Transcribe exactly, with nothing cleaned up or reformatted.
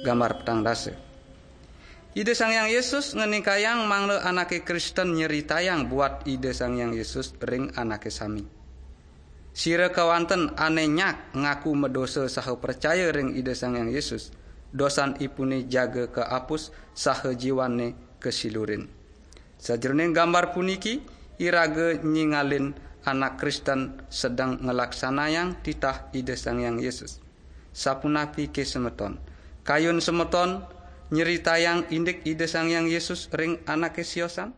Gambar petang dasa. Ida Sang Hyang Yesus ngenikayang mangda anake Kristen nyeritayang buat Ida Sang Hyang Yesus ring anake sami. Sira kewanten ane nyak ngaku medosa saha pracaya ring Ida Sang Hyang Yesus, dosanipune jaga kaapus saha jiwane kasilurin. Sajeroning gambar puniki, iraga nyingalin anak Kristen sedeng ngelaksanayang titah Ida Sang Hyang Yesus. Sapunapi ke semeton? Kayun semeton nyeritayang indik Ida Sang Hyang Yesus ring anake siosan?